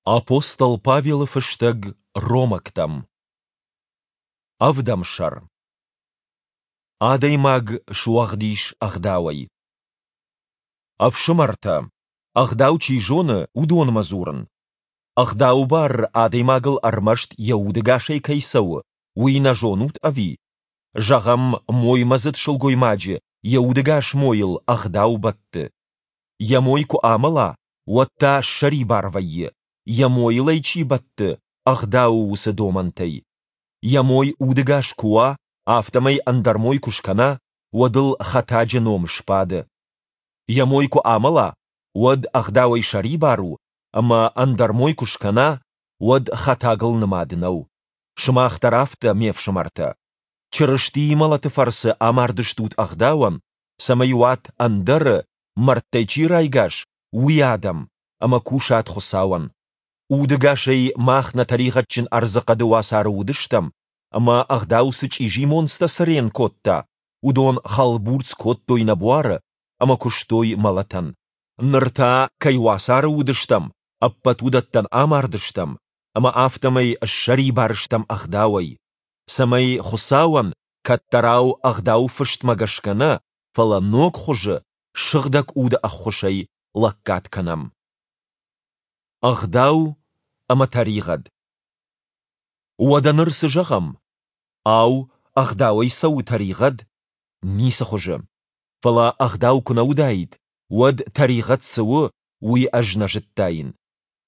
Апостол Павелы фыстӕг Ромӕгтӕм. Ӕвдӕм сӕр. Адӕймаг суӕгъд ис ӕгъдауӕй. Ӕфсымӕртӕ, ӕгъдау чи зоны, уыдонмӕ дзурын. Ӕгъдауы бар адӕймагыл ӕрмӕст йӕ удӕгасӕй кӕй цӕуы, уый нӕ зонут ӕви? Зӕгъӕм, моймӕдзыд сылгоймаджы йӕ удӕгас мойыл ӕгъдау бӕтты. Йӕ мой куы амӕла, уӕд та ссӕрибар вӕййы, йӕ мойыл ӕй чи бӕтты, ӕгъдауы уыцы домӕнтӕй. Йӕ мой удӕгас куы уа, афтӕмӕй ӕндӕр мой куы скӕна, уӕд ыл хӕтаджы ном сбады. Йӕ мой куы амӕла, уӕд ӕгъдауӕй сӕрибар у, ӕмӕ ӕндӕр мой куы скӕна, уӕд хӕтагыл нымад нӕу. Сымах дӕр афтӕ, ме фсымӕртӕ. Чырыстийы мӕлӕты фӕрцы амардыстут ӕгъдауӕн, цӕмӕй уат ӕндӕры, мӕрдтӕй чи райгас, уый адӕм, ӕмӕ кусат Хуыцауӕн. Удӕгасӕй мах нӕ тӕригъӕдджын ӕрдзыхъӕды уацары уыдыстӕм, ӕмӕ ӕгъдау цы чъизи монцтӕ цырен кодта, уыдон хӕлбурцъ кодтой нӕ буары ӕмӕ куыстой мӕлӕтӕн. Ныр та, кӕй уацары уыдыстӕм, ӕппӕт уыдӕттӕн амардыстӕм, ӕмӕ афтӕмӕй ссӕрибар стӕм ӕгъдауӕй, цӕмӕй Хуыцауӕн кӕддӕрау ӕгъдауы фыстмӕ гӕсгӕ нӕ, фӕлӕ ног хуызы, Сыгъдӕг Уды ӕххуысӕй лӕггад кӕнӕм. Ӕгъдау ӕмӕ тӕригъӕд. Уӕдӕ ныр цы зӕгъӕм? Ау, ӕгъдауӕй цӕуы тӕригъӕд? Ницы хуызы. Фӕлӕ ӕгъдау куы нӕ уыдаид, уӕд тӕригъӕд цы у, уый ӕз нӕ зыдтаин.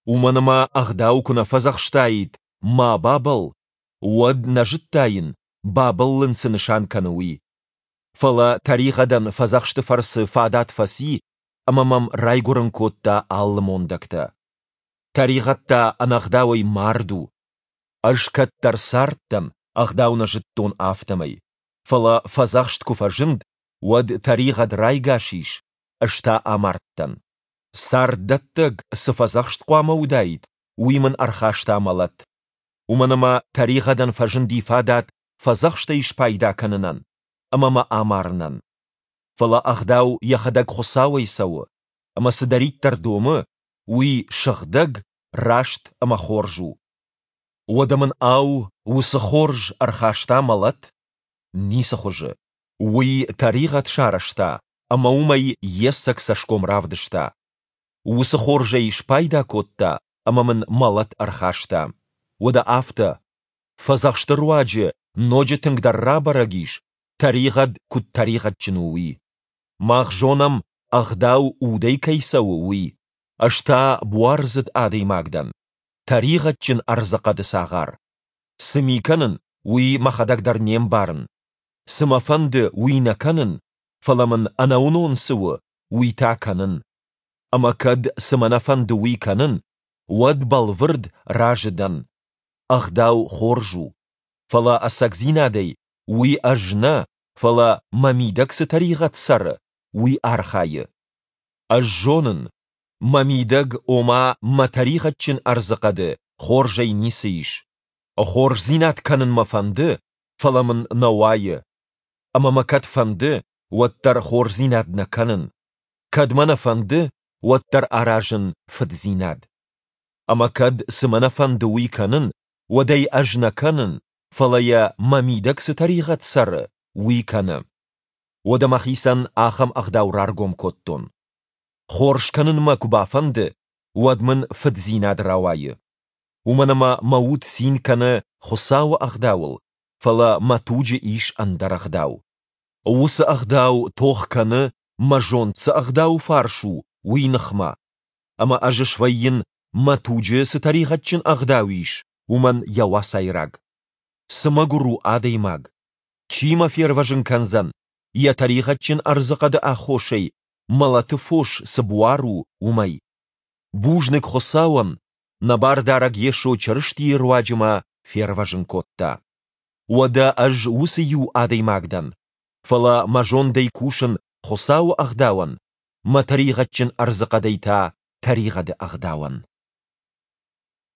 Уымӕн ӕмӕ ӕгъдау куы нӕ фӕдзӕхстаид «ма бабӕлл», уӕд нӕ зыдтаин, бабӕллын цы нысан кӕны, уый. Фӕлӕ тӕригъӕдӕн фӕдзӕхсты фӕрцы фадат фӕци ӕмӕ мӕм райгуырын кодта алы мондӕгтӕ. Тӕригъӕд та ӕнӕгъдауӕй мард у. Ӕз кӕддӕр цардтӕн, ӕгъдау нӕ зыдтон, афтӕмӕй. Фӕлӕ фӕдзӕхст куы фӕзынд, уӕд тӕригъӕд райгас ис, ӕз та амардтӕн. Царддӕттӕг цы фӕдзӕхст хъуамӕ уыдаид, уый мын ӕрхаста мӕлӕт. Уымӕн ӕмӕ тӕригъӕдӕн фӕзынди фадат фӕдзӕхстӕй спайда кӕнынӕн ӕмӕ мӕ амарынӕн. Фӕлӕ ӕгъдау йӕхӕдӕг Хуыцауӕй цӕуы, ӕмӕ цыдӕриддӕр домы, уый сыгъдӕг, раст ӕмӕ хорз у. Уӕдӕ мын, ау, уыцы хорз ӕрхаста мӕлӕт? Ницы хуызы. Уый тӕригъӕд сарӕзта ӕмӕ уымӕй йе цӕг цӕсгом равдыста. Уыцы хорзӕй спайда кодта ӕмӕ мын мӕлӕт ӕрхаста. Уӕдӕ афтӕ, фӕдзӕхсты руаджы ноджы тынгдӕр рабӕрӕг ис, тӕригъӕд куыд тӕригъӕдджын у, уый. Мах зонӕм, ӕгъдау удӕй кӕй цӕуы, уый. Ӕз та буардзыд адӕймаг дӕн, тӕригъӕдджын ӕрдзыхъӕды цагъар. Цы ми кӕнын, уый мӕхӕдӕг дӕр не мбарын. Цы мӕ фӕнды, уый нӕ кӕнын, фӕлӕ мын ӕнӕуынон цы у, уый та кӕнын. Ӕмӕ кӕд, цы мӕ нӕ фӕнды, уый кӕнын, уӕд бӕлвырд разы дӕн. Ӕгъдау хорз у. Фӕлӕ ӕцӕгдзинадӕй уый ӕз нӕ, фӕлӕ мӕ мидӕг цы тӕригъӕд цӕры, уый архайы. Ӕз зонын, мӕ мидӕг, ома мӕ тӕригъӕдджын ӕрдзыхъӕды, хорзӕй ницы ис. Хорздзинад кӕнын мӕ фӕнды, фӕлӕ мын нӕ уайы. Ӕмӕ мӕ кӕд фӕнды, уӕддӕр хорздзинад нӕ кӕнын. Кӕд мӕ нӕ фӕнды, уӕддӕр аразын фыддзинад. Ӕмӕ кӕд, цы мӕ нӕ фӕнды, уый кӕнын, уӕд ӕй ӕз нӕ кӕнын, фӕлӕ йӕ мӕ мидӕг цы тӕригъӕд цӕры, уый кӕны. Уӕдӕ мӕхицӕн ахӕм ӕгъдау раргом кодтон. Хорз кӕнын мӕ куы бафӕнды, уӕд мын фыддзинад рауайы. Уымӕн ӕмӕ мӕ уд цин кӕны Хуыцауы ӕгъдауыл, фӕлӕ мӕ туджы ис ӕндӕр ӕгъдау. Уыцы ӕгъдау тох кӕны, мӕ зонд цы ӕгъдауы фарс у, уый ныхмӕ. Ӕмӕ ӕз свӕййын, мӕ туджы цы тӕригъӕдджын ӕгъдау ис, уымӕн йӕ уацайраг. Цы мӕгуыр у адӕймаг! Чи мӕ фервӕзын кӕндзӕн, йӕ тӕригъӕдджын ӕрдзыхъӕды аххосӕй мӕлӕты фос цы буар у, уымӕй? Бузныг Хуыцауӕн, нӕ Бардарӕг Йесо Чырыстийы руаджы мӕ фервӕзын кодта. Уӕдӕ ӕз уыцы иу адӕймаг дӕн, фӕлӕ мӕ зондӕй кусын Хуыцауы ӕгъдауӕн, мӕ тӕригъӕдджын ӕрдзыхъӕдӕй та тӕригъӕды ӕгъдауӕн.